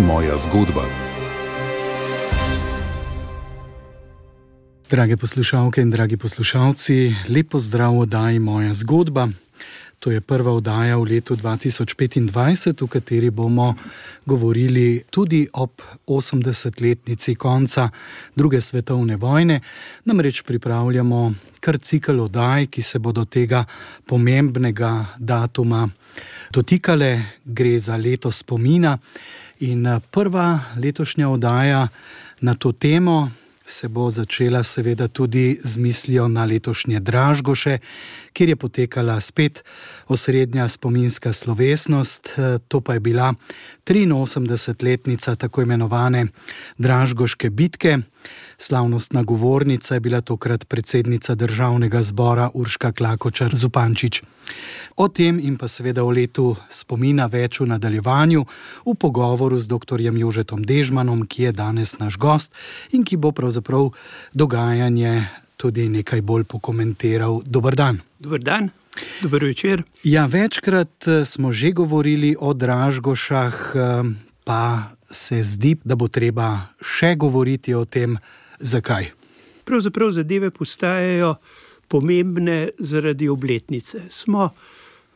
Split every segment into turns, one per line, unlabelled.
moja zgodba.
Drage poslušalke in dragi poslušalci, lep pozdrav v oddaji Moja zgodba. To je prva oddaja v letu 2025, v kateri bomo govorili tudi ob 80-letnici konca druge svetovne vojne. Namreč pripravljamo kar cikel oddaj, ki se bodo tega pomembnega datuma dotikale. Gre za leto spomina in prva letošnja oddaja na to temo se bo začela seveda tudi z mislijo na letošnje Dražgoše, kjer je potekala spet osrednja spominska slovesnost. To pa je bila 83-letnica tako imenovane Dražgoške bitke. Slavnostna govornica je bila tokrat predsednica Državnega zbora Urška Klakočar Zupančič. O tem in pa seveda o letu spomina več v nadaljevanju v pogovoru z dr. Jožetom Dežmanom, ki je danes naš gost in ki bo pravzaprav dogajanje tudi nekaj bolj pokomentiral. Dober dan.
Dober dan, dober večer.
Ja, večkrat smo že govorili o Dražgošah, pa se zdi, da bo treba še govoriti o tem. Zakaj?
Pravzaprav zadeve postajajo pomembne zaradi obletnice. Smo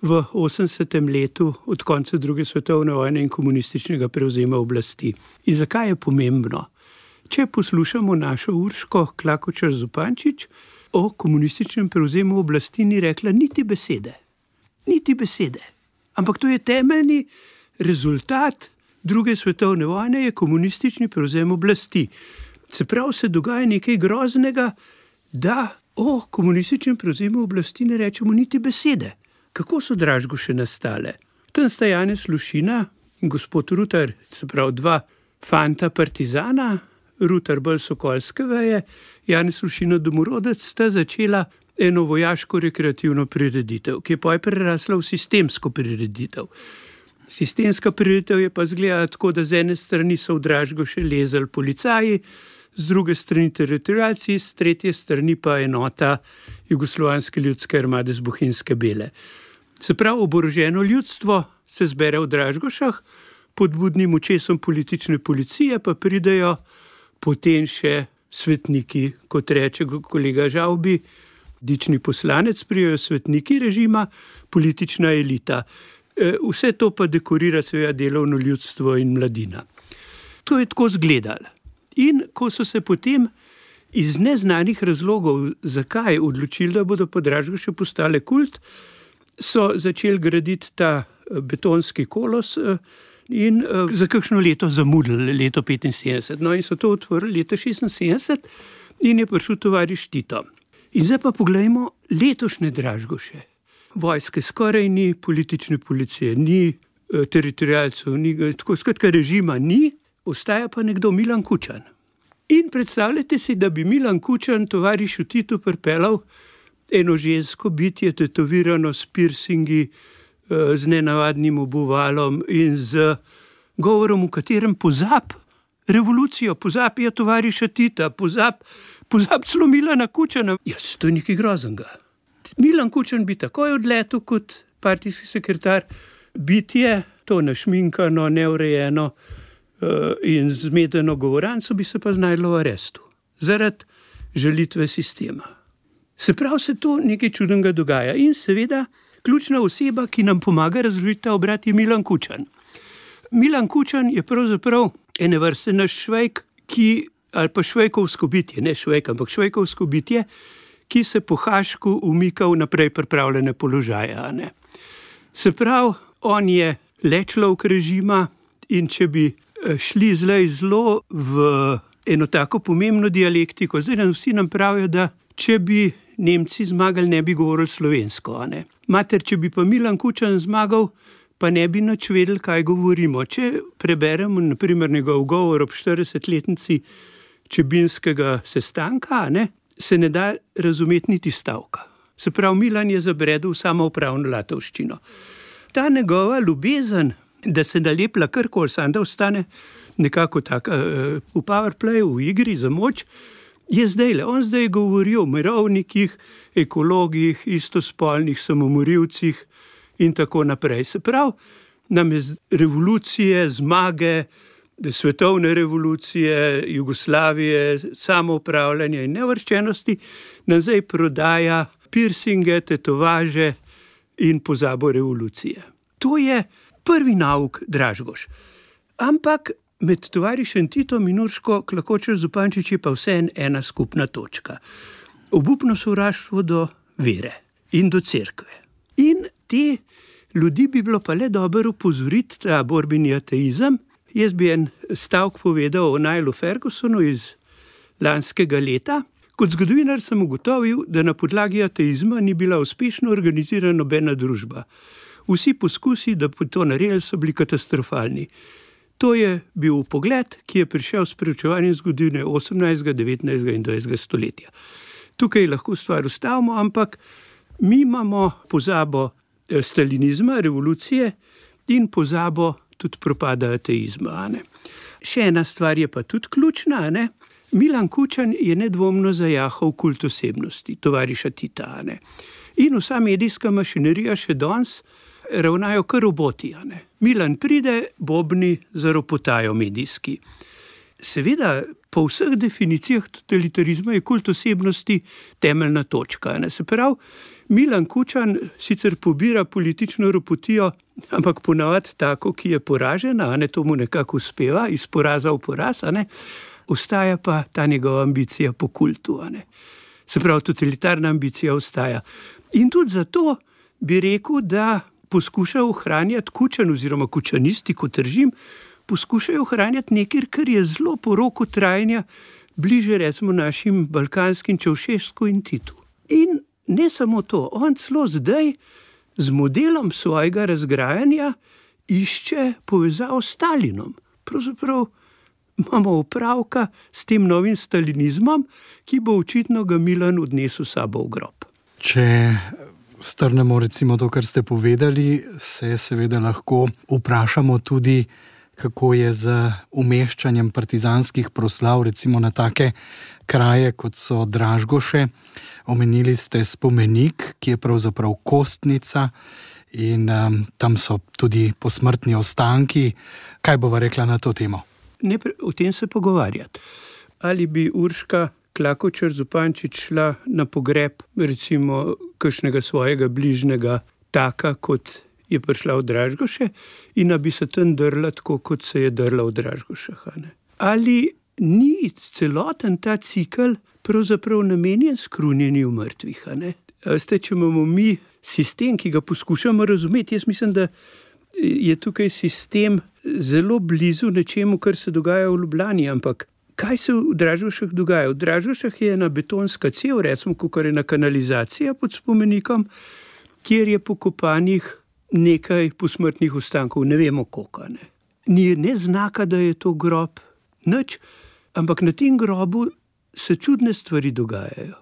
v 80. letu od konca druge svetovne vojne in komunističnega prevzema oblasti. In zakaj je pomembno? Če poslušamo našo Urško Klakočar Zupančič, o komunističnem prevzemu oblasti ni rekla niti besede. Niti besede. Ampak to je temeljni rezultat druge svetovne vojne, je komunistični prevzem oblasti. Se pravi, se dogaja nekaj groznega, da o komunističnem prevzemu oblasti ne rečemo niti besede. Kako so Dražgoše nastale? Tam sta Janez Lušina in gospod Rutar, se pravi dva fanta partizana, Rutar bolj sokolske veje, Janez Lušina domorodec, sta začela eno vojaško-rekreativno prireditev, ki je potem prerasla v sistemsko prireditev. Sistemska prireditev je pa izgledala tako, da z ene strani so v Dražgoše lezali policaji, z druge strani teritorialci, z tretje strani pa enota Jugoslovanske ljudske armade z Bohinjske Bele. Se pravi, oboroženo ljudstvo se zbere v Dražgošah, pod budnim očesom politične policije pa pridejo potem še svetniki, kot reče kolega Žavbi, dični poslanec, pridejo svetniki režima, politična elita. Vse to pa dekorira seveda delovno ljudstvo in mladina. To je tako izgledalo. In ko so se potem iz neznanih razlogov, zakaj odločili, da bodo po Dražgoše postale kult, so začeli graditi ta betonski kolos in za kakšno leto zamudili, leto 75. No in so to otvorili leta 76 in je prišel tovariš Tito. In zdaj pa poglejmo letošnje Dražgoše. Vojske skoraj ni, politične policije ni, teritorialcev ni, tako skratka režima ni, ostaja pa nekdo Milan Kučan. In predstavljajte si, da bi Milan Kučan tovarišu Titu pripeljal eno žensko bitje, tetovirano s piercingi, z nenavadnim obuvalom in z govorom, v katerem pozab revolucijo, pozabijo tovariša Tita, pozab celo Milana Kučana. Jaz, to je nekaj groznega. Milan Kučan bi takoj odletel kot partijski sekretar, bitje, to našminkano, neurejeno in zmedeno govoranco bi se pa znajdlo v arestu, zaradi žalitve sistema. Se pravi, se to nekaj čudnega dogaja in seveda ključna oseba, ki nam pomaga razložiti ta obrat, je Milan Kučan. Milan Kučan je pravzaprav ene vrste naš Švejk, ali pa švejkovsko bitje, ne Švejk, ampak švejkovsko bitje, ki se po Hašku umika v naprej pripravljene položaje. Ne? Se pravi, on je le človek režima in če bi šli zdaj zelo v eno tako pomembno dialektiko, zdaj vsi nam pravijo, da če bi Nemci zmagali, ne bi govorili slovensko. Ne? Mater, če bi pa Milan Kučan zmagal, pa ne bi nič vedeli, kaj govorimo. Če preberemo na primer njegov govor ob 40-letnici Čebinskega sestanka, ne, se ne da razumeti niti stavka. Se pravi, Milan je zabredel samoupravno latovščino. Ta njegova ljubezen, da se nalepla karkoli, sam da ostane nekako tako v powerplayu, v igri za moč, je zdajle. On zdaj govori o mirovnikih, ekologih, istospolnih samomorilcih in tako naprej. Se pravi, nam je revolucije, zmage, svetovne revolucije, Jugoslavije, samoupravljanja in neuvrščenosti, nam zdaj prodaja piercinge, tetovaže in pozabo revolucije. To je prvi nauk Dražgoš. Ampak med tovarišem Titom in Urško Klakočar Zupančič je pa vseeno ena skupna točka. Obupno sovraštvo do vere in do cerkve. In te ljudi bi bilo pa le dobro opozoriti, ta borbeni ateizem. Jaz bi en stavek povedal o Nilu Fergusonu iz lanskega leta. Kot zgodovinar sem ugotovil, da na podlagi ateizma ni bila uspešno organizirana nobena družba. Vsi poskusi, da bi to naredili, so bili katastrofalni. To je bil pogled, ki je prišel s preučevanjem zgodovine 18., 19. in 20. stoletja. Tukaj lahko stvar ustavimo, ampak mi imamo pozabo stalinizma, revolucije in pozabo tudi propada ateizma. Ne? Še ena stvar je pa tudi ključna. Ne? Milan Kučan je nedvomno zajahal kult osebnosti, tovariša Tita. Ne? In vsa medijska mašinerija še danes ravnajo kar roboti. Ne? Milan pride, bobni zaropotajo medijski. Seveda, po vseh definicijah totalitarizma je kult osebnosti temeljna točka. Ne? Se pravi, Milan Kučan sicer pobira politično ropotijo, ampak ponavadi tako, ki je poražena, ne, to mu nekako uspeva, iz poraza v poraz, ne, ostaja pa ta njegova ambicija po kultu. Ne. Se pravi, totalitarna ambicija ostaja. In tudi zato bi rekel, da poskuša ohranjati Kučan oziroma kučanisti kot režim, poskušajo ohranjati nekaj, kar je zelo po roku trajanja bliže recimo našim balkanskim Čaušesku in Titu. In ne samo to, on celo zdaj z modelom svojega razgrajanja išče povezavo s Stalinom. Pravzaprav imamo opravka s tem novim stalinizmom, ki bo očitno ga Milan odnesel sabo v grob.
Če strnemo recimo to, kar ste povedali, se seveda lahko vprašamo tudi, kako je z umeščanjem partizanskih proslav recimo na take kraje, kot so Dražgoše. Omenili ste spomenik, ki je pravzaprav kostnica in tam so tudi posmrtni ostanki. Kaj bova rekla na to temo?
Ne o tem se pogovarjati. Ali bi Urška Klakočar Zupančič šla na pogreb recimo kakšnega svojega bližnjega taka, kot je prišla v Dražgoše in da bi se tam drla tako, kot se je drla v Dražgošah. Ali ni celoten ta cikl pravzaprav namenjen skrunjenju mrtvih? Veste, če imamo mi sistem, ki ga poskušamo razumeti, jaz mislim, da je tukaj sistem zelo blizu nečemu, kar se dogaja v Ljubljani, ampak kaj se v Dražgošah dogaja? V Dražgošah je ena betonska cev, recimo, kakor je ena kanalizacija pod spomenikom, kjer je pokopanih nekaj posmrtnih ostankov, ne vemo koliko. Ni ne znaka, da je to grob, nič, ampak na tem grobu se čudne stvari dogajajo.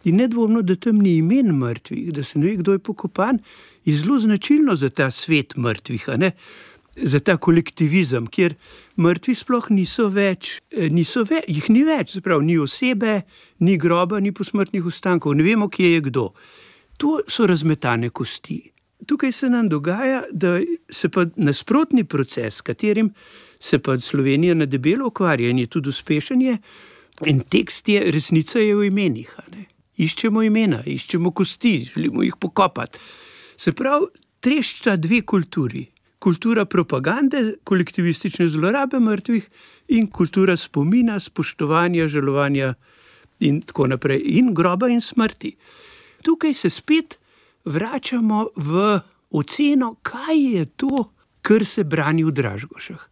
In nedvomno, da tam ni imen mrtvih, da se ne ve, kdo je pokopan, je zelo značilno za ta svet mrtvih, za ta kolektivizem, kjer mrtvi sploh niso več, jih ni več, se pravi, ni osebe, ni groba, ni posmrtnih ostankov, ne vemo, kje je kdo. To so razmetane kosti. Tukaj se nam dogaja, da se pa nasprotni proces, s katerim se pa Slovenija na debelo ukvarja in je tudi uspešen je, in tekst je, resnica je v imenih. Iščemo imena, iščemo kosti, želimo jih pokopati. Se pravi, trešča dve kulturi. Kultura propagande, kolektivistične zlorabe mrtvih in kultura spomina, spoštovanja, žalovanja in tako naprej. In groba in smrti. Tukaj se spet vračamo v oceno, kaj je to, kar se brani v Dražgošah.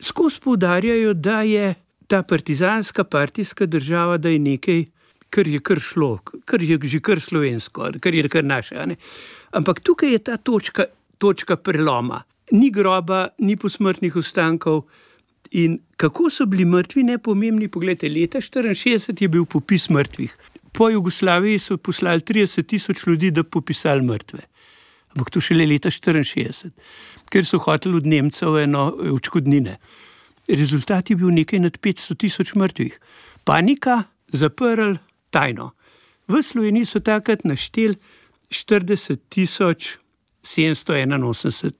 Skozi poudarjajo, da je ta partizanska partijska država, da je nekaj, kar je kar šlo, kar je že kar slovensko, kar je kar naše. Ampak tukaj je ta točka preloma. Ni groba, ni posmrtnih ostankov. In kako so bili mrtvi nepomembni? Poglejte, leta 1964 je bil popis mrtvih. Po Jugoslaviji so poslali 30,000 ljudi, da popisali mrtve. Ampak to šele leta 1964, ker so hoteli od Nemcev odškodnine. Rezultat je bil nekaj nad 500,000 mrtvih. Panika, zaprl, tajno. V Sloveniji so takrat našteli 40,781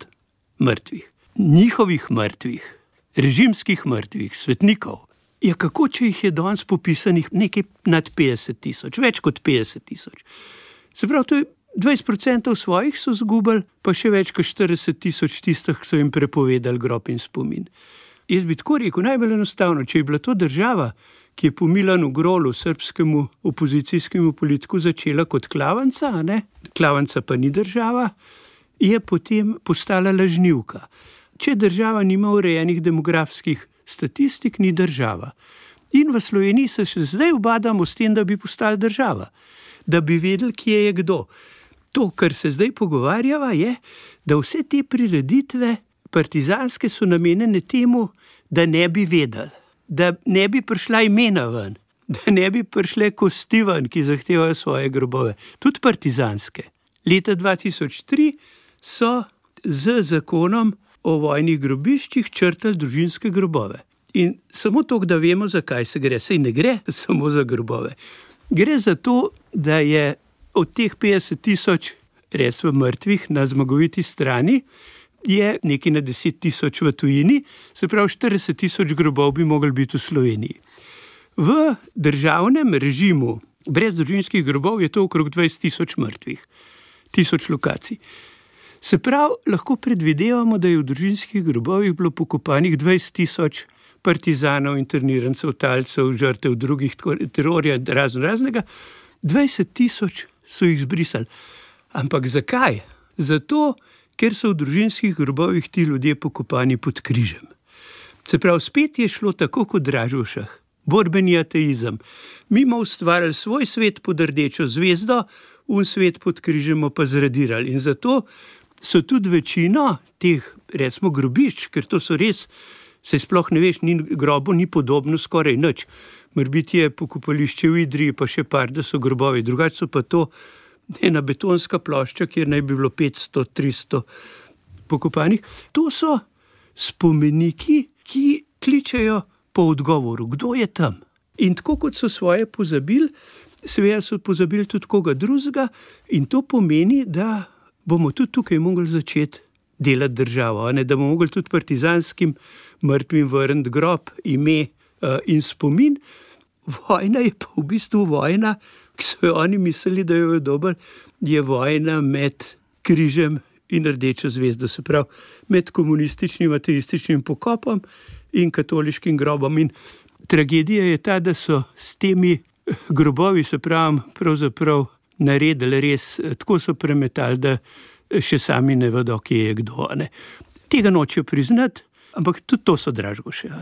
mrtvih. Njihovih mrtvih, režimskih mrtvih, svetnikov. Ja, kako če jih je danes popisanih nekaj nad 50.000, več kot 50.000. Se pravi, to je 20% svojih so zgubili, pa še več kot 40.000 tistih, ki so jim prepovedali grob in spomin. Jaz bi tako rekel, najbolj enostavno, če je bila to država, ki je po Milanu Grolu, srbskemu opozicijskemu politiku, začela kot klavanca, klavanca pa ni država, je potem postala lažnivka. Če država nima urejenih demografskih statistik, ni država. In v Sloveniji se še zdaj ubadamo s tem, da bi postala država, da bi vedeli, kje je kdo. To, kar se zdaj pogovarjava, je, da vse te prireditve partizanske so namenjene temu, da ne bi vedeli, da ne bi prišla imena ven, da ne bi prišle kosti ven, ki zahtevajo svoje grobove, tudi partizanske. Leta 2003 so z zakonom o vojnih grobiščih črtali družinske grobove. In samo to, da vemo, zakaj se gre, saj ne gre samo za grobove. Gre za to, da je od teh 50.000, recimo mrtvih na zmagoviti strani, je nekaj na 10.000 v tujini, se pravi 40.000 grobov bi mogli biti v Sloveniji. V državnem režimu brez družinskih grobov je to okrog 20.000 mrtvih, 1000 lokacij. Se pravi, lahko predvidevamo, da je v družinskih grobovih bilo pokopanih 20.000 partizanov, internirancev, talcev, žrtev drugih terorja, raznega. 20.000 so jih zbrisali. Ampak zakaj? Zato, ker so v družinskih grobovih ti ljudje pokopani pod križem. Se pravi, spet je šlo tako kot v Dražgošah, borbeni ateizem. Mi smo ustvarjali svoj svet pod rdečo zvezdo, svet pod križem pa zradirali. In zato so tudi večino teh, recimo, grobišč, ker to so res, se sploh ne veš, grobu ni podobno skoraj nič. Morbiti je pokopališče v Idriji, pa še par, da so grobovi. Drugače so pa to ena betonska plošča, kjer naj bi bilo 500-300 pokopanih. To so spomeniki, ki kličejo po odgovoru, kdo je tam. In tako kot so svoje pozabili, seveda so pozabili tudi koga drugega, in to pomeni, da bomo tudi tukaj mogli začeti delati državo, da bomo mogli tudi partizanskim mrtvim vrniti grob, ime in spomin. Vojna je pa v bistvu vojna, ki so jo oni mislili, da jo je dober, je vojna med križem in rdečo zvezdo, se pravi med komunističnim, ateističnim pokopom in katoliškim grobom. In tragedija je ta, da so s temi grobovi, se pravi, pravzaprav naredili res, tako so premetali, da še sami ne vedo, kje je kdo. Tega nočejo priznati, ampak tudi to so Dražgoše.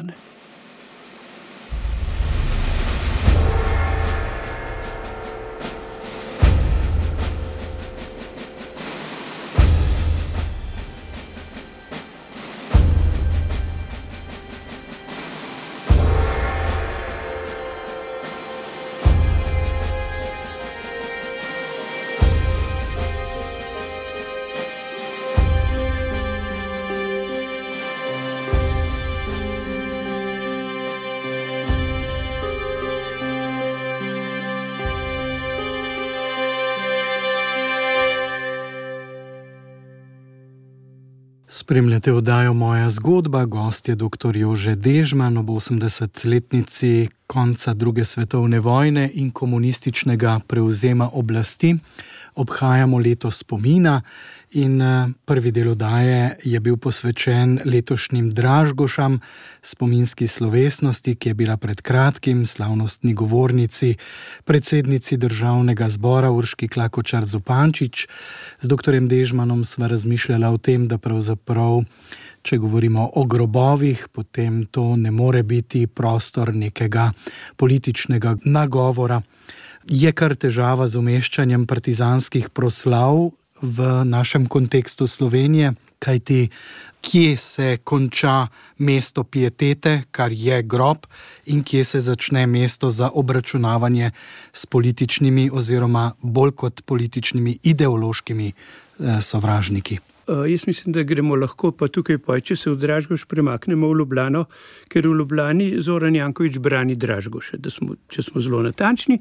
Spremljate oddajo Moja zgodba, gost je dr. Jože Dežman ob 80-letnici konca druge svetovne vojne in komunističnega prevzema oblasti. Obhajamo leto spomina in prvi del oddaje je bil posvečen letošnjim Dražgošam, spominski slovesnosti, ki je bila pred kratkim slavnostni govornici, predsednici Državnega zbora Urški Klakočar Zupančič. Z dr. Dežmanom sva razmišljala o tem, da pravzaprav, če govorimo o grobovih, potem to ne more biti prostor nekega političnega nagovora. Je kar težava z umeščanjem partizanskih proslav v našem kontekstu Slovenije, kajti kje se konča mesto pietete, kar je grob, in kje se začne mesto za obračunavanje s političnimi oziroma bolj kot političnimi ideološkimi sovražniki.
Jaz mislim, da gremo lahko pa tukaj, če se v Dražgoš premaknemo v Ljubljano, ker v Ljubljani Zoran Janković brani Dražgoše, če smo zelo natančni.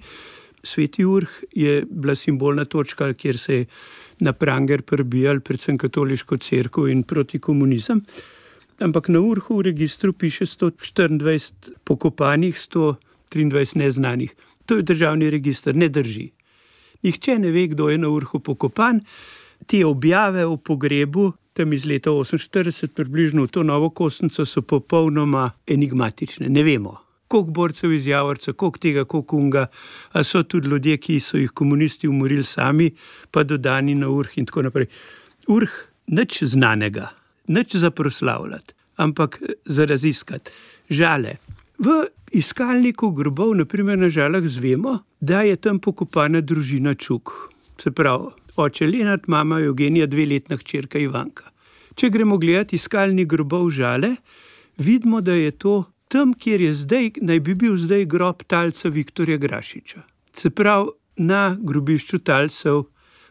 Sveti Urh je bila simbolna točka, kjer se je na pranger prebijal predvsem katoliško cerkev in proti komunizem. ampak na vrhu v registru piše 124 pokopanih, 123 neznanih. To je državni register, ne drži. Nihče ne ve, kdo je na vrhu pokopan. Te objave o pogrebu, tam iz leta 1948, približno v to Novo Kosnico, so popolnoma enigmatične. Ne vemo, koliko borcev iz Javorca, koliko tega, koliko unga, a so tudi ljudje, ki so jih komunisti umorili sami, pa dodani na vrh in tako naprej. Vrh nič znanega, nič za proslavljati, ampak za raziskati. Žale. V iskalniku grobov, naprimer na Žalah, zvemo, da je tam pokopana družina Čuk. Se pravi, oče Lenart, mama Eugenija, 2-letna hčerka Ivanka. Če gremo gledati iskalnik grobov Žale, vidimo, da je to tam, kjer je zdaj, naj bi bil zdaj grob talca Viktorja Grašiča. Se pravi, na grobišču talcev,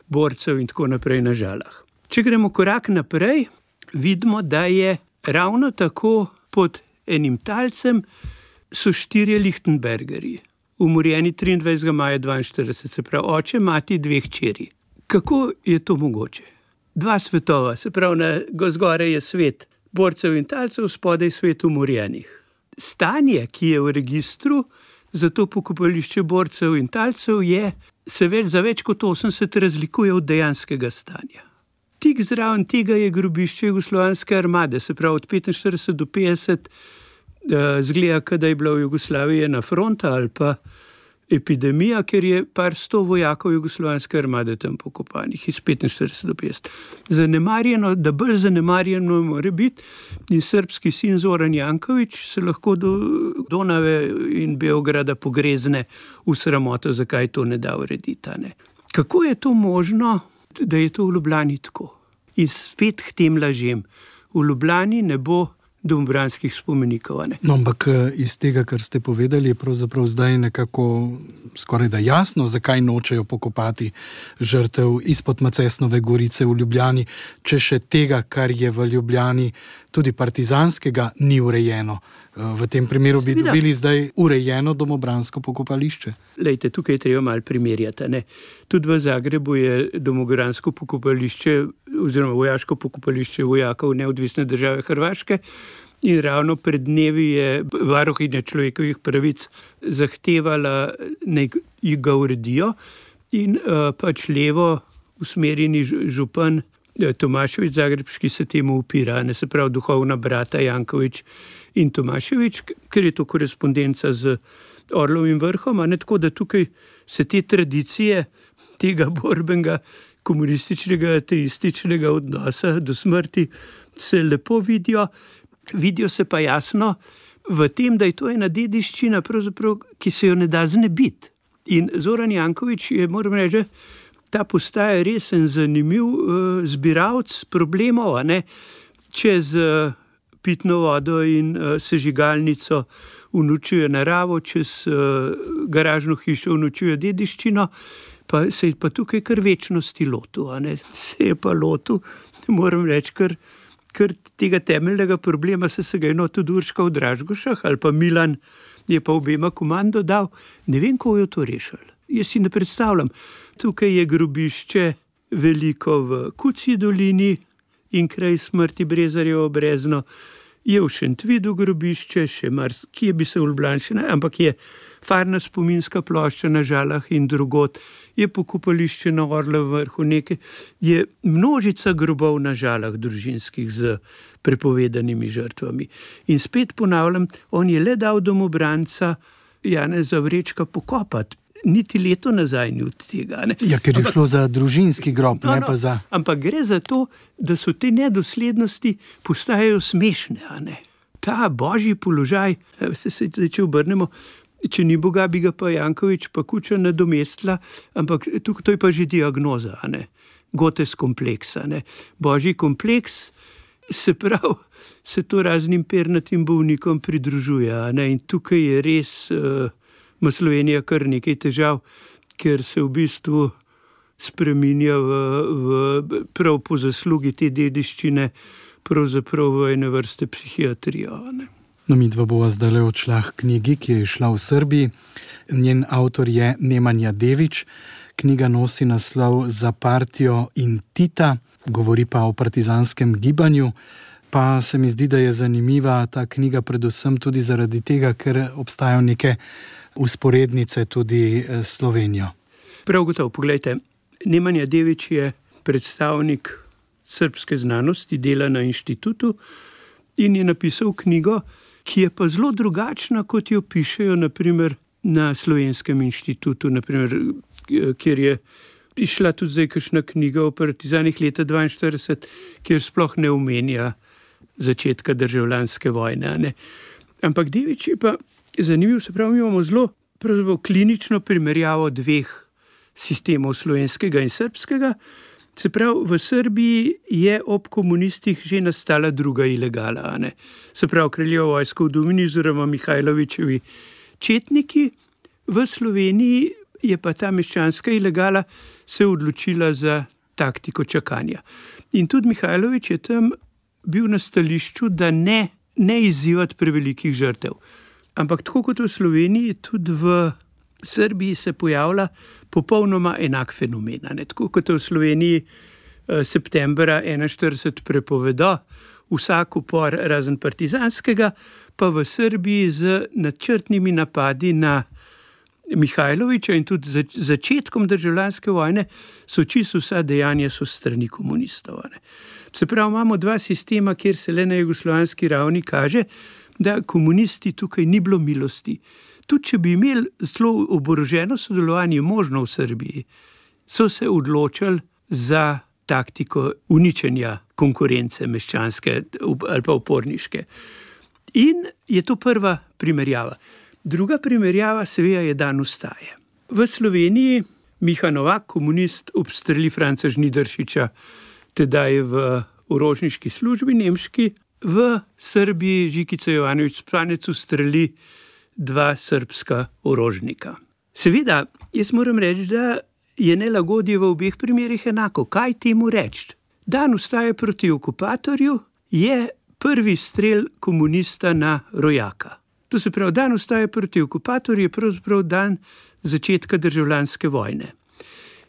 borcev in tako naprej na Žalah. Če gremo korak naprej, vidimo, da je ravno tako pod enim talcem so 4 Lichtenbergerji, umorjeni 23. maja 1942, se pravi oče, mati, 2 hčeri. Kako je to mogoče? 2 svetova, se pravi, zgoraj je svet borcev in talcev, spodaj svet umorjenih. Stanje, ki je v registru za to pokopališče borcev in talcev, za več kot 80 razlikuje od dejanskega stanja. Tik zraven tega je grobišče Jugoslovanske armade, se pravi od 45 do 50, zgleda, da je bila v Jugoslaviji ena fronta ali pa epidemija, ker je par 100 vojakov Jugoslovanske armade tam pokopanih, iz 45 do 50. Zanemarjeno, da bolj zanemarjeno mora biti, in srbski sin Zoran Janković se lahko do Donave in Beograda pogrezne v sramoto, zakaj to ne da urediti. Ne? Kako je to možno, da je to v Ljubljani tako? In spet k tem lažem. V Ljubljani ne bo domobranskih spomenikov.
No, ampak iz tega, kar ste povedali, je pravzaprav zdaj nekako skoraj da jasno, zakaj nočejo pokopati žrtev izpod Macesnove gorice v Ljubljani, če še tega, kar je v Ljubljani tudi partizanskega, ni urejeno. V tem primeru bi dobili zdaj urejeno domobransko pokopališče.
Lejte, tukaj je treba malo primerjati. Ne? Tudi v Zagrebu je domobransko pokopališče oziroma vojaško pokopališče vojakov Neodvisne države Hrvaške in ravno pred dnevi je varuhinja človekovih pravic zahtevala, naj ga uredijo in pač levo usmerjeni župan Tomašević Zagrebški se temu upira, ne, se pravi duhovna brata Janković in Tomašević, ker je to korespondenca z Orlovim vrhom, a ne, tako da tukaj se te tradicije tega borbenega komunističnega, ateističnega odnosa do smrti se lepo vidijo. Vidijo se pa jasno v tem, da je to ena dediščina, pravzaprav, ki se jo ne da znebiti. In Zoran Janković je, moram reči, ta postaja res en zanimiv zbiralec problemov, a ne, čez pitno vodo in sežigalnico uničuje naravo, čez garažno hišo uničuje dediščino, pa se je pa tukaj kar večnosti lotu, a ne, se je pa lotu, moram reči, kar tega temeljnega problema se ga je tudi Urška v Dražgošah ali pa Milan je pa obema komando dal, ne vem, kako je to rešil. Jaz si ne predstavljam. Tukaj je grobišče veliko v Kucji dolini in kraj smrti Brezarjevo Brezno, je v Šentvidu grobišče, še kje bi se v Ljubljani, ampak je farna spominska plošča na Žalah in drugod, je pokopališče na Orlovem vrhu, je množica grobov na Žalah družinskih z prepovedanimi žrtvami. In spet ponavljam, on je le dal domobranca Janeza Vrečka pokopati. Niti leto nazaj ni od tega. Ne?
Ja, ker je šlo za družinski grob, ne pa za...
Ampak gre za to, da so te nedoslednosti postajajo smešne. A ne? Ta božji položaj, če obrnemo, če ni Boga, bi ga pa Janković pa Kučan nadomestila, ampak to je pa že diagnoza, a ne? Gotes kompleks. A ne? Božji kompleks, se pravi, se to raznim pernatim bolnikom pridružuje. A ne? In tukaj je res... ima Slovenija kar nekaj težav, ker se v bistvu spreminja prav po zaslugi te dediščine, pravzaprav v ene vrste psihiatrijo. Ne?
No, midva bova zdajle odšla k knjigi, ki je išla v Srbiji. Njen avtor je Nemanja Dević. Knjiga nosi naslov Za partijo in Tita, govori pa o partizanskem gibanju. Pa se mi zdi, da je zanimiva ta knjiga predvsem tudi zaradi tega, ker obstajajo neke vzporednice tudi s Slovenijo.
Prav gotovo, poglejte, Nemanja Dević je predstavnik srbske znanosti, dela na inštitutu in je napisal knjigo, ki je pa zelo drugačna, kot jo pišejo naprimer na Slovenskem inštitutu, naprimer, kjer je išla tudi zdaj kakšna knjiga o partizanih leta 1942, kjer sploh ne omenja začetka državljanske vojne. Ne? Ampak Dević je pa zanimiv, se pravi, mi imamo zelo klinično primerjavo dveh sistemov, slovenskega in srbskega. Se pravi, v Srbiji je ob komunistih že nastala druga ilegala. Ne? Se pravi, kraljeva vojska v Dumini oziroma Mihajlovićevi četniki. V Sloveniji je pa ta meščanska ilegala se odločila za taktiko čakanja. In tudi Mihajlović je tam bil na stališču, da ne izzivati prevelikih žrtev. Ampak tako kot v Sloveniji, tudi v Srbiji se pojavlja popolnoma enak fenomen. Ne? Tako kot v Sloveniji septembra 1941 prepovedo vsak upor razen partizanskega, pa v Srbiji z načrtnimi napadi na Mihajlovića in tudi začetkom državljanske vojne so čisto vsa dejanja so strani komunistov. Ne? Se pravi, imamo dva sistema, kjer se le na jugoslovanski ravni kaže, da komunisti tukaj ni bilo milosti. Tudi če bi imeli zelo oboroženo sodelovanje možno v Srbiji, so se odločili za taktiko uničenja konkurence meščanske ali pa uporniške. In je to prva primerjava. Druga primerjava seveda je dan vstaje. V Sloveniji Miha Novak, komunist, obstreli Franca Žnidaršiča, tedaj v orožniški službi nemški. V Srbiji Žikica Jovanović Spanec ustreli dva srbska orožnika. Seveda, jaz moram reči, da je nelagodje v obeh primerih enako. Kaj temu reči? Dan vstaje proti okupatorju je prvi strel komunista na rojaka. To se pravi, dan vstaje proti okupatorju je pravzaprav dan začetka državljanske vojne.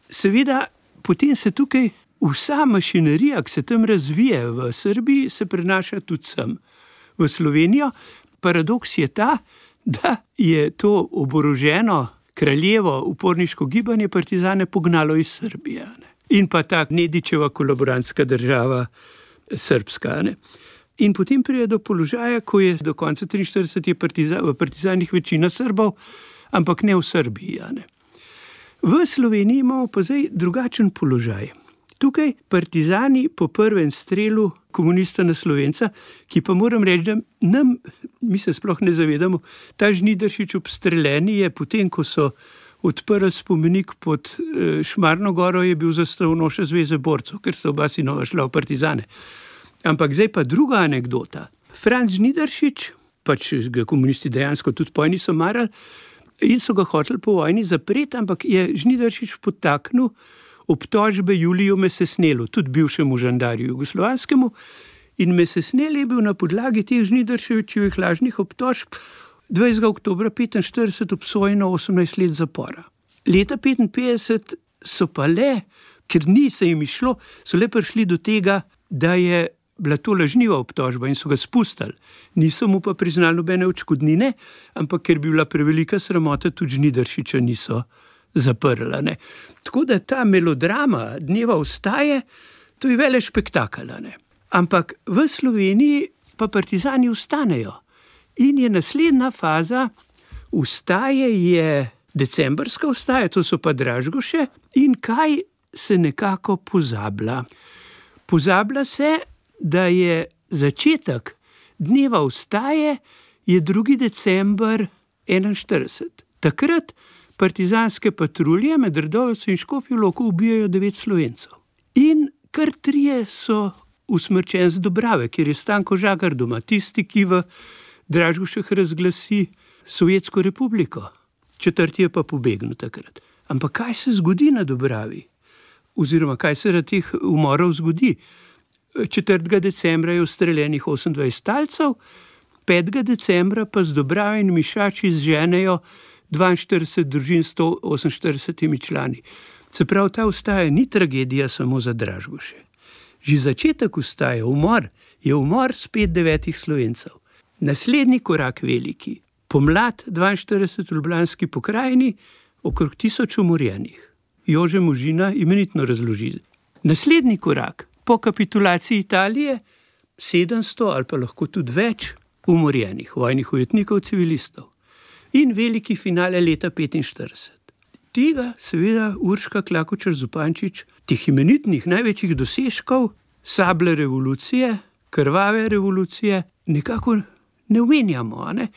Seveda, potem se tukaj vsa mašinerija, ki se tam razvije v Srbiji, se prenaša tudi sem v Slovenijo. Paradoks je ta, da je to oboroženo kraljevo uporniško gibanje partizane pognalo iz Srbije. Ne? In pa ta Nedićeva kolaborantska država srbska. Ne? In potem pride do položaja, ko je do konca 1943 v partizanih večina Srbov, ampak ne v Srbiji. Ne? V Sloveniji imamo pa zdaj drugačen položaj. Tukaj partizani po prvem strelu komunista na Slovenca, ki pa moram reči, da mi se sploh ne zavedamo, ta Žnidaršič obstreljeni je potem, ko so odprli spomenik pod Šmarno goro, je bil zastavnoša Zveze borcev, ker so oba sinova šla v partizane. Ampak zdaj pa druga anekdota. Franc Žnidaršič, pač ga komunisti dejansko tudi poj niso marali in so ga hoteli po vojni zapreti, ampak je Žnidaršič podtaknil obtožbe Juliju Mesesnelu, tudi bivšemu žandarju jugoslovanskemu, in Mesesnel je bil na podlagi teh Žnidaršičevih lažnih obtožb 20. oktobra 1945 obsojen na 18 let zapora. Leta 1955 so pa le, ker ni se jim išlo, so le prišli do tega, da je bila to lažniva obtožba in so ga spustili. Niso mu pa priznali nobene odškodnine, ampak ker bi bila prevelika sramota, tudi Žnidaršiča niso zaprla. Ne. Tako da ta melodrama dneva vstaje, to je velik spektakel. Ne. Ampak v Sloveniji pa partizani vstanejo. In je naslednja faza vstaje, je decembrska vstaja, to so pa Dražgoše. In kaj se nekako pozablja? Pozablja se, da je začetek dneva vstaje je 2. december 1941. Takrat partizanske patrulje med Radovljico in Škofjo Loko ubijajo 9 Slovencev. In kar 3 so usmrčeni z Dobrave, kjer je Stanko Žagar doma, tisti, ki v Dražgošah razglasi Sovjetsko republiko. 4. je pa pobegnil takrat. Ampak kaj se zgodi na Dobravi? Oziroma, kaj se na teh umorov zgodi? 4. decembra je ustreljenih 28 talcev, 5. decembra pa z Dobrave in Mišači zženejo 42 družin 148 člani. Se pravi, ta vstaja ni tragedija samo za Dražgoše. Že začetek vstaje, umor, je umor spet 9 Slovencev. Naslednji korak veliki, pomlad 42 v Ljubljanski pokrajini, okrog 1000 umorjenih. Jože Možina imenitno razloži. Naslednji korak, po kapitulaciji Italije, 700 ali pa lahko tudi več umorjenih vojnih ujetnikov, civilistov. In veliki finale leta 1945. Tega seveda Urška Klakočar Zupančič, teh imenitnih največjih dosežkov, sable revolucije, krvave revolucije, nekako ne omenjamo. Ne?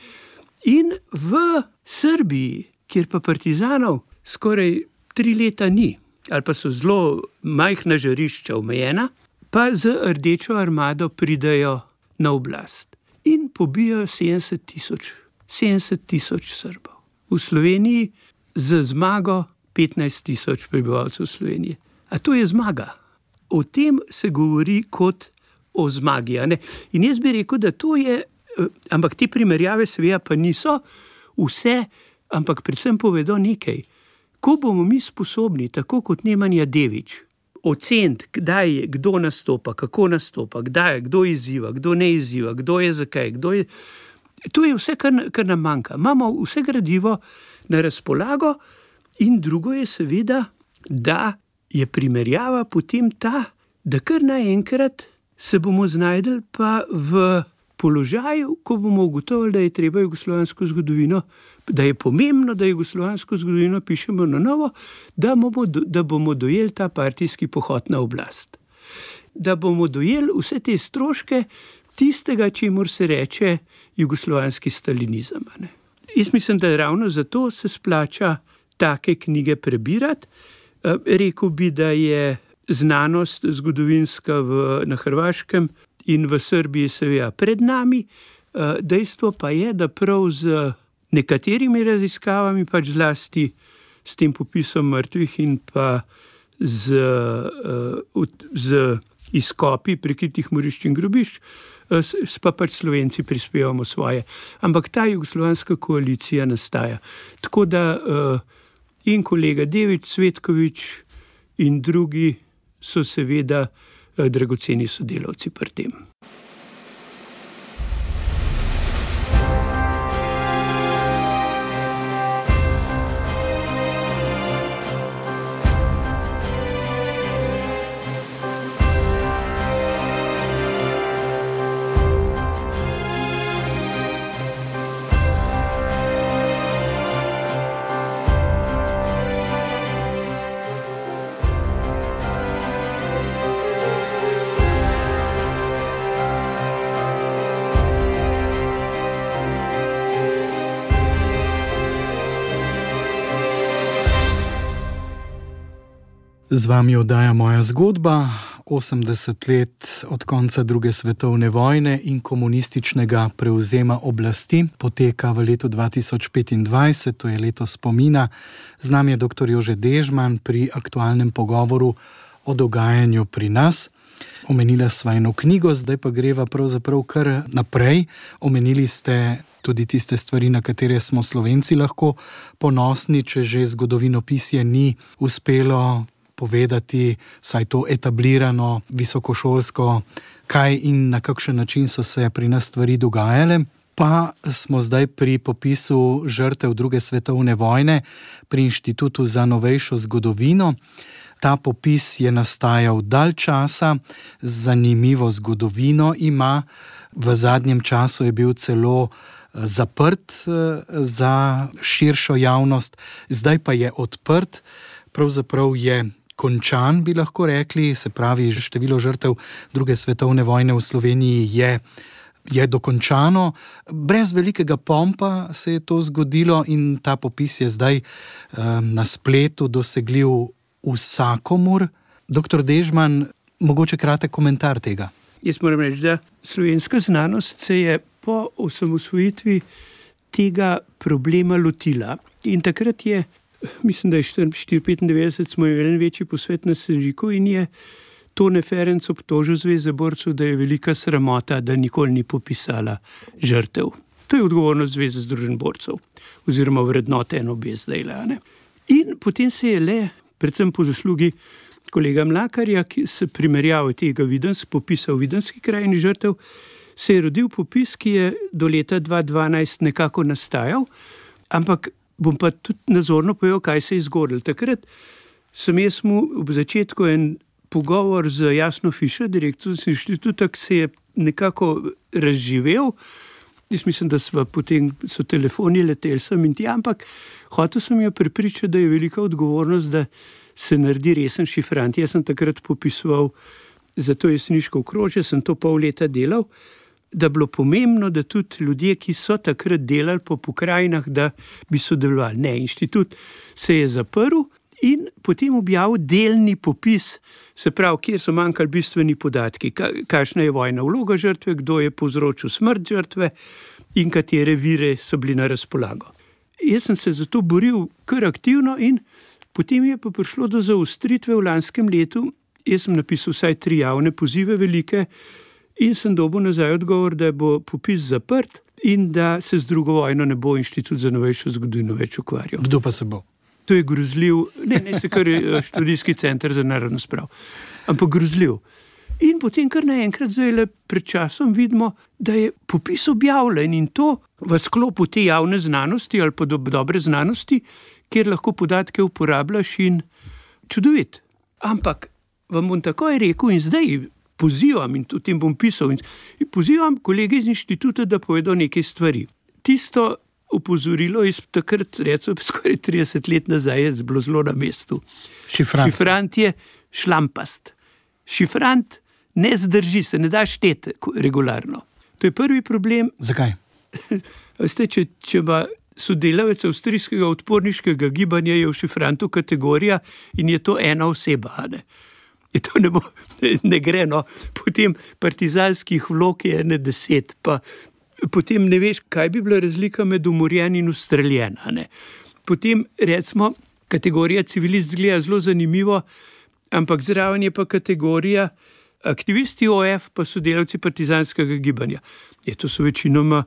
In v Srbiji, kjer pa partizanov skoraj 3 leta ni, ali pa so zelo majhna žarišča omejena, pa z Rdečo armado pridejo na oblast in pobijajo 70 tisoč Srbov. V Sloveniji z zmago 15 tisoč prebivalcev Slovenije. A to je zmaga. O tem se govori kot o zmagi. In jaz bi rekel, da to je, ampak te primerjave seveda pa niso vse, ampak predvsem povedo nekaj. Ko bomo mi sposobni, tako kot Nemanja Devič, oceniti, kdaj, kdo nastopa, kako nastopa, kdaj, kdo izziva, kdo ne izziva, kdo je zakaj, kdo je... To je vse, kar nam manjka. Imamo vse gradivo na razpolago in drugo je seveda, da je primerjava potem ta, da kar naenkrat se bomo znajdli pa v položaju, ko bomo ugotovili, da je treba jugoslovansko zgodovino, da je pomembno, da jugoslovansko zgodovino pišemo na novo, da bomo dojeli ta partijski pohod na oblast. Da bomo dojeli vse te stroške tistega, čemur se reče jugoslovanski stalinizem. Jaz mislim, da ravno zato se splača take knjige prebirati. Rekel bi, da je znanost zgodovinska na Hrvaškem in v Srbiji seveda pred nami. Dejstvo pa je, da prav z nekaterimi raziskavami, pač zlasti s tem popisom mrtvih in pa z izkopi prekritih morišč in grobišč, pa pač Slovenci prispevamo svoje. Ampak ta jugoslovanska koalicija nastaja. Tako da in kolega Devič, Cvetkovič in drugi so seveda dragoceni sodelavci pri tem.
Z vami oddaja Moja zgodba, 80 let od konca druge svetovne vojne in komunističnega prevzema oblasti poteka v letu 2025, to je leto spomina. Z nami je dr. Jože Dežman pri aktualnem pogovoru o dogajanju pri nas. Omenila sva eno knjigo, zdaj pa greva pravzaprav kar naprej. Omenili ste tudi tiste stvari, na katere smo Slovenci lahko ponosni, če že zgodovinopisje ni uspelo povedati, saj to etablirano, visokošolsko, kaj in na kakšen način so se pri nas stvari dogajale. Pa smo zdaj pri popisu žrtev druge svetovne vojne pri Inštitutu za novejšo zgodovino. Ta popis je nastajal dalj časa, zanimivo zgodovino ima, v zadnjem času je bil celo zaprt za širšo javnost, zdaj pa je odprt, pravzaprav je končan, bi lahko rekli, se pravi, število žrtev druge svetovne vojne v Sloveniji je dokončano. Brez velikega pompa se je to zgodilo in ta popis je zdaj na spletu dosegljiv vsakomur. Dr. Dežman, mogoče kratek komentar tega.
Jaz moram reči, da slovenska znanost se je po osamosvojitvi tega problema lotila. In takrat je, mislim, da je 1994 smo imeli večji posvet na Senžiku in je Tone Ferenc obtožil Zveze borcev, da je velika sramota, da nikoli ni popisala žrtev. To je odgovornost Zveze združenj borcev oziroma vrednote NOB zdaj. In potem se je le, predvsem po zaslugi kolega Mlakarja, ki se primerjava tega popisa o Videnski krajini žrtev, se je rodil popis, ki je do leta 2012 nekako nastajal, ampak bom pa tudi nazorno povedal, kaj se je zgodilo. Takrat sem jaz mu ob začetku en pogovor z Jasno Fišer, direktorico inštituta, ki se je nekako razživel. Jaz mislim, da potem so telefoni leteli sem in tja, ampak hotel sem jo prepričati, da je velika odgovornost, da se naredi resen šifrant. Jaz sem takrat popisoval za to jeseniško okrožje, sem to pol leta delal, da bilo pomembno, da tudi ljudje, ki so takrat delali po pokrajinah, da bi sodelovali. Ne, inštitut se je zaprl in potem objavil delni popis, se pravi, kjer so manjkali bistveni podatki, kakšna je vojna vloga žrtve, kdo je povzročil smrt žrtve in katere vire so bili na razpolago. Jaz sem se zato boril kar aktivno in potem je pa prišlo do zaostritve v lanskem letu. Jaz sem napisal vsaj 3 javne pozive velike in sem dobil nazaj odgovor, da bo popis zaprt in da se z drugo vojno ne bo Inštitut za novejšo zgodovino več ukvarjal.
Kdo pa se bo?
To je grozljiv, ne se kar študijski center za narodno spravo, ampak grozljiv. In potem kar naenkrat zdaj pred časom vidimo, da je popis objavljen in to v sklopu te javne znanosti ali pa dobre znanosti, kjer lahko podatke uporabljaš in čudovit. Ampak vam bom takoj rekel in zdaj pozivam in tudi tem bom pisal in pozivam kolege iz inštituta, da povedo nekaj stvari. Tisto opozorilo iz takrat, recimo skoraj 30 let nazaj, je bilo zelo na mestu. Šifrant je šlampast. Šifrant ne zdrži, se ne da šteti regularno. To je prvi problem.
Zakaj?
Veste, če ima sodelavec avstrijskega odporniškega gibanja, je v šifrantu kategorija in je to ena oseba, ne? In to ne gre, no. Potem partizanskih vlog je 10, pa potem ne veš, kaj bi bila razlika med umorjen in ustreljen, ne. Potem, recimo, kategorija civilist zgleda zelo zanimivo, ampak zraven je pa kategorija aktivisti OF, pa sodelavci partizanskega gibanja. To so večinoma,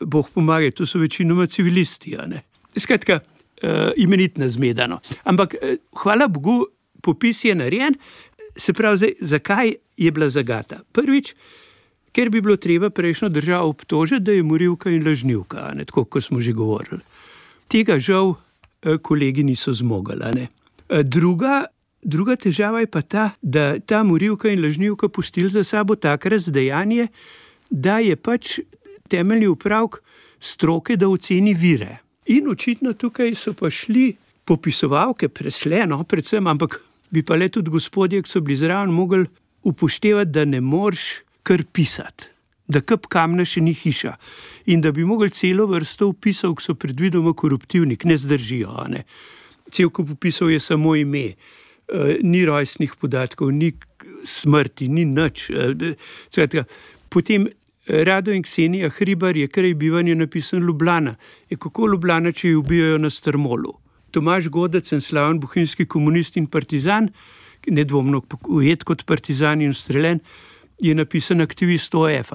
Bog pomaga, to so večinoma civilisti, ne. Skratka, imenitna zmeda, no. Ampak, hvala Bogu, popis je narejen. Se pravi, zdaj, zakaj je bila zagata? Prvič, ker bi bilo treba prejšnjo državo obtožiti, da je morilka in lažnivka, ne, tako kot smo že govorili. Tega žal kolegi niso zmogli, ne. Druga težava je pa ta, da ta morilka in lažnivka pustili za sabo tak razdejanje, da je pač temeljni upravek stroke, da oceni vire. In očitno tukaj so pa šli popisovalke presleno, predvsem, ampak bi pa le tudi gospodje, ki so bili zraven, mogli upoštevati, da ne moreš kar pisati, da kap kamna še ni hiša in da bi mogli celo vrsto opisov, ki so predvidoma koruptivni, ne zdržijo, ne. Cel kup opisov je samo ime, ni rojstnih podatkov, ni smrti, ni nič. Potem Rado in Ksenija Hribar je kraj bivanja napisan Ljubljana. Kako Ljubljana, če jo ubijajo na Strmolu? Tomaž Godec, en slaven bohinjski komunist in partizan, nedvomno ujet kot partizan in ustreljen, je napisan aktivist OF.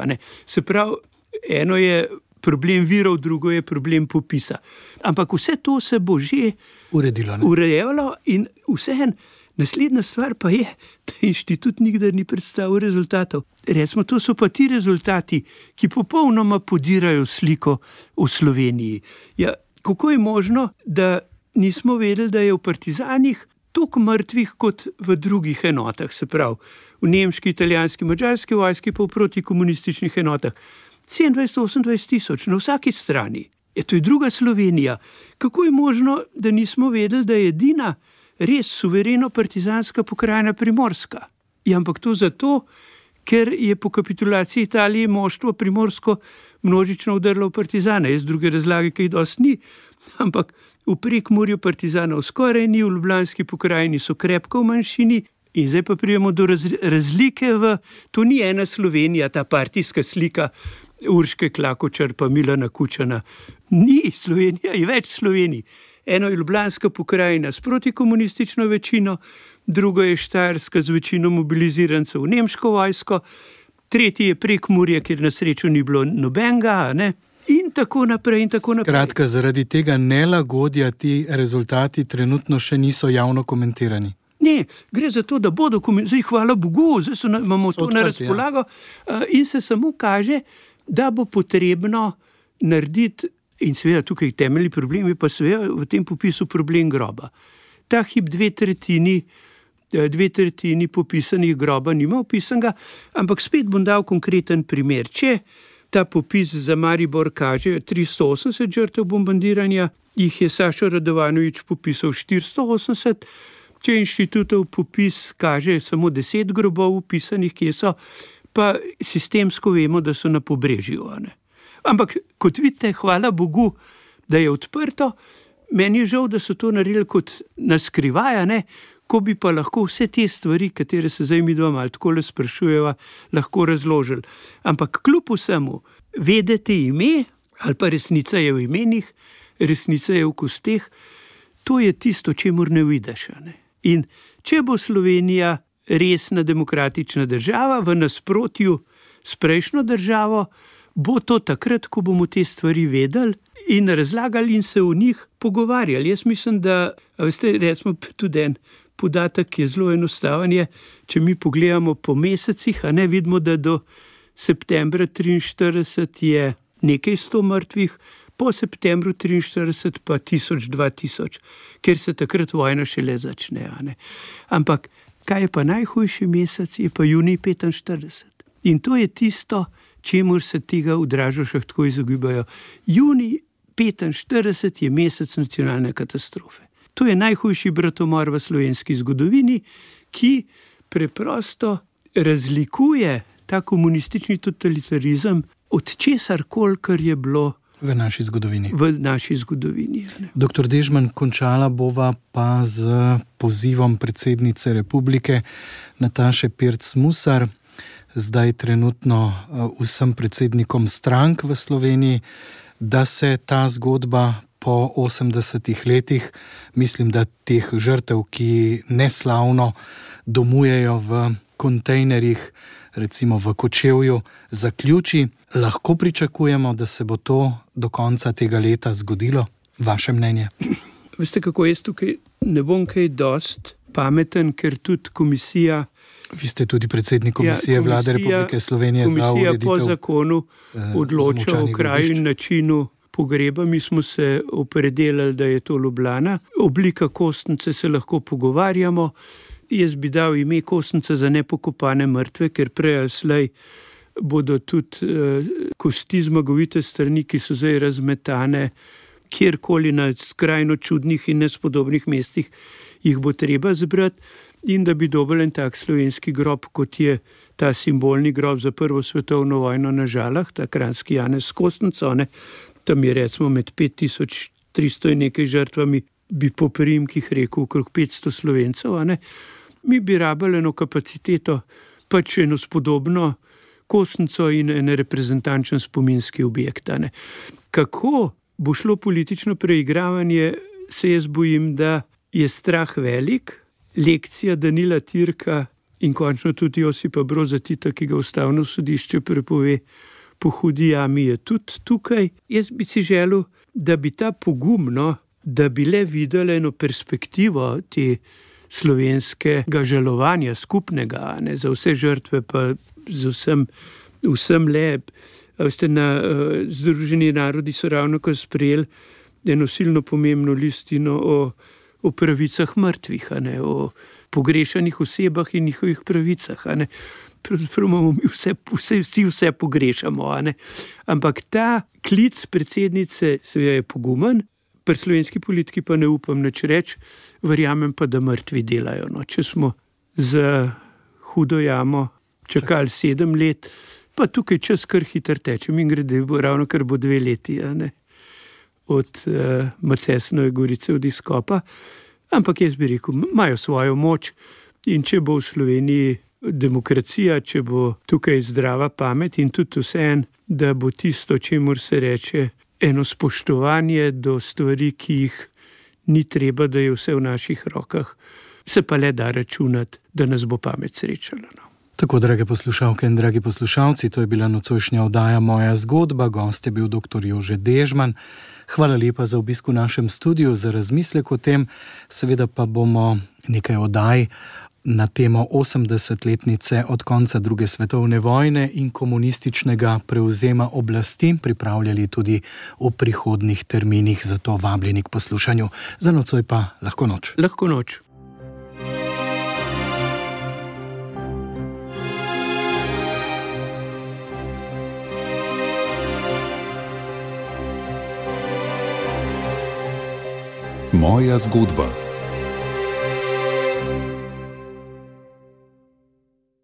Se pravi, eno je problem virov, drugo je problem popisa. Ampak vse to se bo že urejalo in vseeno. Naslednja stvar pa je, da inštitut nikdar ni predstavil rezultatov. Recimo, to so pa ti rezultati, ki popolnoma podirajo sliko v Sloveniji. Ja, kako je možno, da nismo vedeli, da je v partizanih toliko mrtvih kot v drugih enotah, se pravi, v nemški, italijanski, madžarski vojski pa v protikomunističnih enotah. 27-28 tisoč na vsaki strani. To je druga Slovenija. Kako je možno, da nismo vedeli, da je edina res suvereno partizanska pokrajina Primorska? Ampak to zato, ker je po kapitulaciji Italije moštvo primorsko množično udrlo v partizane. Jaz druge razlage, ki jih dosti ni, ampak v Prekmurju partizanov skoraj ni, v ljubljanski pokrajini so krepko v manjšini in zdaj pa pridemo do razlike to ni ena Slovenija, ta partijska slika Urške Klakočar pa Milana Kučana. Ni Slovenija, je več Slovenij. Eno je ljubljanska pokrajina s protikomunistično večino, drugo je Štajerska z večino mobilizirancev v nemško vojsko, tretji je Prekmurje, kjer na srečo ni bilo nobenega, ne? In tako naprej, in tako naprej.
Skratka, zaradi tega nelagodja ti rezultati trenutno še niso javno komentirani.
Ne, gre za to, da bo dokument, zdaj hvala Bogu, zdaj imamo to na razpolago, in se samo kaže, da bo potrebno narediti, in seveda tukaj temeljni problem je pa seveda v tem popisu problem groba. Ta hip 2/3 popisanih groba nima opisanega, ampak spet bom dal konkreten primer. Če ta popis za Maribor kaže 380 žrtev bombardiranja, jih je Sašo Radovanovič popisal 480, če inštitutov popis kaže samo 10 grobov upisanih, kje so, pa sistemsko vemo, da so na Pobrežju. Ampak kot vidite, hvala Bogu, da je odprto. Meni je žal, da so to naredili kot naskrivaj, ko bi pa lahko vse te stvari, katere se zdaj mi dva malo takole sprašujeva, lahko razložili. Ampak kljub vsemu, vedeti ime, ali pa resnica je v imenih, resnica je v kosteh, to je tisto, čemur ne vidiš. In če bo Slovenija resna demokratična država, v nasprotju s prejšnjo državo, bo to takrat, ko bomo te stvari vedeli in razlagali in se o njih pogovarjali. Jaz mislim, da, veste, recimo tudi en podatek je zelo enostaven, če mi pogledamo po mesecih, vidimo, da do septembra 1943 je nekaj 100 mrtvih, po septembru 1943 pa 1000-2000, ker se takrat vojna šele začne. Ampak kaj je pa najhujši mesec, je pa junij 1945. In to je tisto, čemur se tega v Dražošah tako izogibajo. Junij 1945 je mesec nacionalne katastrofe. To je najhujši bratomor v slovenski zgodovini, ki preprosto razlikuje ta komunistični totalitarizem od česarkoli, kar je bilo
v naši zgodovini.
Dr.
Dežman, končala bova pa z pozivom predsednice republike Nataše Pirc Musar, zdaj trenutno vsem predsednikom strank v Sloveniji, da se ta zgodba po 80 letih, mislim, da teh žrtev, ki neslavno domujejo v kontejnerjih, recimo v Kočevju, zaključi. Lahko pričakujemo, da se bo to do konca tega leta zgodilo? Vaše mnenje?
Veste, kako jaz tukaj ne bom kaj dost pameten, ker tudi komisija...
Vi ste tudi predsednik komisije Vlade Republike Slovenije za ureditev...
Komisija po zakonu odloča o kraju in načinu pogreba. Mi smo se opredelili, da je to Ljubljana. Oblika kostnice se lahko pogovarjamo. Jaz bi dal ime kostnica za nepokopane mrtve, ker prej ali slej bodo tudi kosti zmagovite strani, ki so zdaj razmetane kjerkoli na skrajno čudnih in nespodobnih mestih, jih bo treba zbrati, in da bi dobil en tak slovenski grob, kot je ta simbolni grob za Prvo svetovno vojno na Žalah, ta kranjski Janez s kostnico, tam je recimo med 5300 in nekaj žrtvami, bi po priimkih rekel okrog 500 Slovencev. Mi bi rabili eno kapaciteto, pač eno spodobno kostnico in en reprezentančen spominski objekt. Kako bo šlo politično preigravanje, se jaz bojim, da je strah velik. Lekcija Danila Tirka in končno tudi Josipa Broza Tita, ki ga Ustavno sodišče prepove po hudi jami, je tudi tukaj. Jaz bi si želel, da bi ta pogum, da bi le videli eno perspektivo te slovenskega žalovanja skupnega, za vse žrtve, pa z vsem le. Združeni narodi so ravnokar sprejeli eno silno pomembno listino o pravicah mrtvih, o pogrešanih osebah in njihovih pravicah. Pravzaprav imamo mi vsi pogrešamo. Ampak ta klic predsednice seveda je pogumen, pri slovenski politiki pa ne upam nič reči, verjamem pa, da mrtvi delajo. Če smo za hudo jamo čakali 7 let, pa tukaj čas kar hitro teče. Mimogrede, ravno kar bo 2 leti, od Macesnove Gorice od izkopa. Ampak jaz bi rekel, imajo svojo moč, in če bo v Sloveniji demokracija, če bo tukaj zdrava pamet in tudi vseeno, da bo tisto, čemur se reče, eno spoštovanje do stvari, ki jih ni treba, da je vse v naših rokah, se pa le da računati, da nas bo pamet srečala.
Tako, drage poslušalke in dragi poslušalci, to je bila nocojšnja oddaja Moja zgodba. Gost je bil dr. Jože Dežman, Hvala lepa za obisk v našem studiu, za razmislek o tem. Seveda pa bomo nekaj oddaj na temo 80-letnice od konca druge svetovne vojne in komunističnega prevzema oblasti pripravljali tudi v prihodnjih terminih, zato vabljeni k poslušanju. Za nocoj pa lahko noč.
Lahko noč.
Moja zgodba.